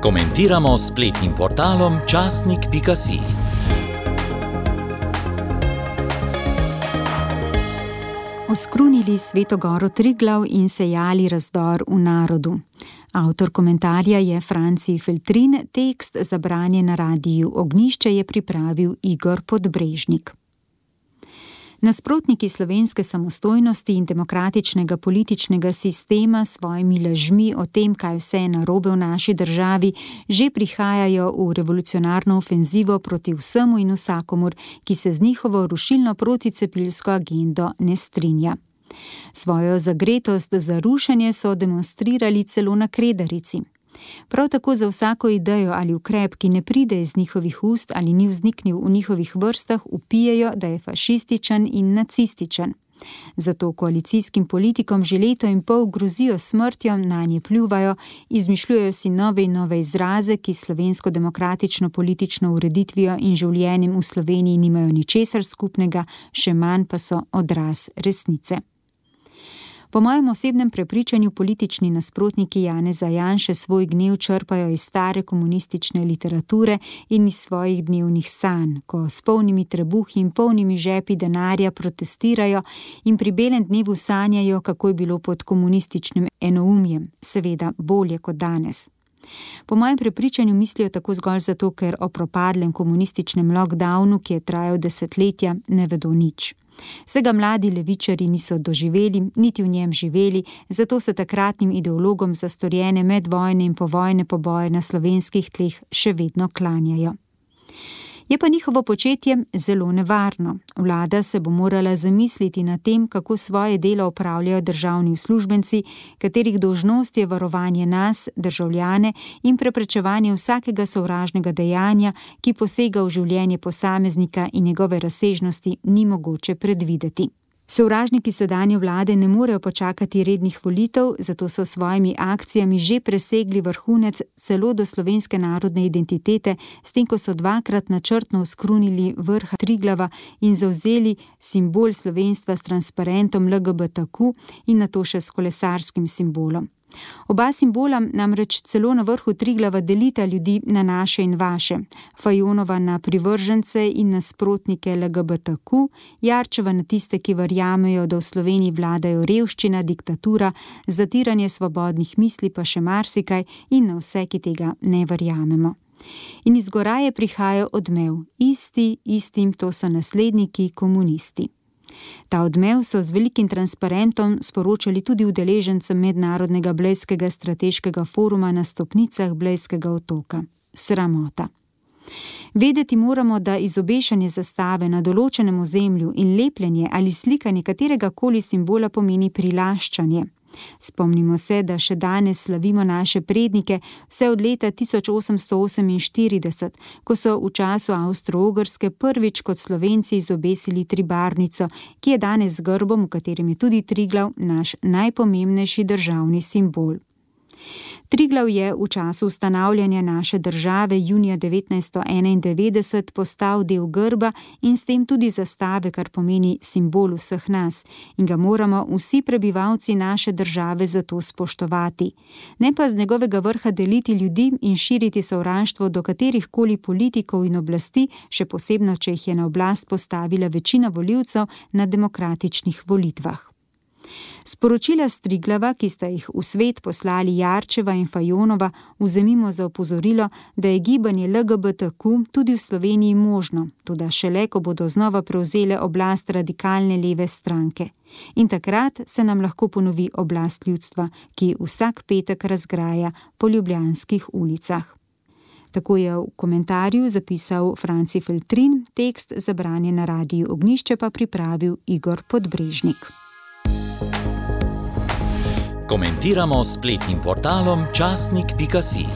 Komentiramo s spletnim portalom časnik.si. Oskrunili Sveto goro Triglav in sejali razdor v narodu. Avtor komentarja je Franci Feltrin, tekst za branje na Radiu Ognjišče je pripravil Igor Podbrežnik. Nasprotniki slovenske samostojnosti in demokratičnega političnega sistema s svojimi lažmi o tem, kaj vse je narobe v naši državi, že prihajajo v revolucionarno ofenzivo proti vsemu in vsakomur, ki se z njihovo rušilno proticepilsko agendo ne strinja. Svojo zagretost za rušenje so demonstrirali celo na Kredarici. Prav tako za vsako idejo ali ukrep, ki ne pride iz njihovih ust ali ni vzniknil v njihovih vrstah, vpijejo, da je fašističen in nacističen. Zato koalicijskim politikom že leto in pol grozijo smrtjo, nanje pljuvajo, izmišljujejo si nove in nove izraze, ki slovensko demokratično politično ureditvijo in življenjem v Sloveniji nimajo ničesar skupnega, še manj pa so odraz resnice. Po mojem osebnem prepričanju politični nasprotniki Janeza Janše svoj gnev črpajo iz stare komunistične literature in iz svojih dnevnih sanj, ko s polnimi trebuhi in polnimi žepi denarja protestirajo in pri belem dnevu sanjajo, kako je bilo pod komunističnim enoumjem, seveda bolje kot danes. Po mojem prepričanju mislijo tako zgolj zato, ker o propadlem komunističnem lockdownu, ki je trajal desetletja, ne vedo nič. Vsega mladi levičarji niso doživeli, niti v njem živeli, zato se takratnim ideologom za storjene medvojne in povojne poboje na slovenskih tleh še vedno klanjajo. Je pa njihovo početje zelo nevarno. Vlada se bo morala zamisliti nad tem, kako svoje delo opravljajo državni uslužbenci, katerih dolžnost je varovanje nas, državljane, in preprečevanje vsakega sovražnega dejanja, ki posega v življenje posameznika in njegove razsežnosti ni mogoče predvideti. Sovražniki sedanje vlade ne morejo počakati rednih volitev, zato so s svojimi akcijami že presegli vrhunec celo do slovenske narodne identitete, s tem, ko so dvakrat načrtno oskrunili vrh Triglava in zavzeli simbol slovenstva s transparentom LGBTQ in nato še s kolesarskim simbolom. Oba simbola namreč celo na vrhu Triglava delita ljudi na naše in vaše, Fajonova na privržence in nasprotnike LGBTQ, Jarčeva na tiste, ki verjamejo, da v Sloveniji vladajo revščina, diktatura, zatiranje svobodnih misli pa še marsikaj in na vse, ki tega ne verjamemo. In iz Goraje prihaja odmev, istim, to so nasledniki komunisti. Ta odmev so z velikim transparentom sporočali tudi udeležencem Mednarodnega Blejskega strateškega foruma na stopnicah Blejskega otoka. Sramota. Vedeti moramo, da izobešanje zastave na določenem ozemlju in lepljenje ali slikanje katerega koli simbola pomeni prilaščanje. Spomnimo se, da še danes slavimo naše prednike vse od leta 1848, ko so v času Avstro-Ogrske prvič kot Slovenci izobesili tribarnico, ki je danes z grbom, v katerem je tudi Triglav, naš najpomembnejši državni simbol. Triglav je v času ustanavljanja naše države junija 1991 postal del grba in s tem tudi zastave, kar pomeni simbol vseh nas, in ga moramo vsi prebivalci naše države zato spoštovati. Ne pa z njegovega vrha deliti ljudi in širiti sovraštvo do katerihkoli politikov in oblasti, še posebno, če jih je na oblast postavila večina volivcev na demokratičnih volitvah. Sporočila s Triglava, ki sta jih v svet poslali Jarčeva in Fajonova, vzemimo za opozorilo, da je gibanje LGBTQ tudi v Sloveniji možno, toda šele, ko bodo znova prevzele oblast radikalne leve stranke. In takrat se nam lahko ponovi oblast ljudstva, ki vsak petek razgraja po ljubljanskih ulicah. Tako je v komentarju zapisal Franci Feltrin, tekst za branje na Radiu Ognjišče pa pripravil Igor Podbrežnik. Komentiramo s spletnim portalom časnik.si.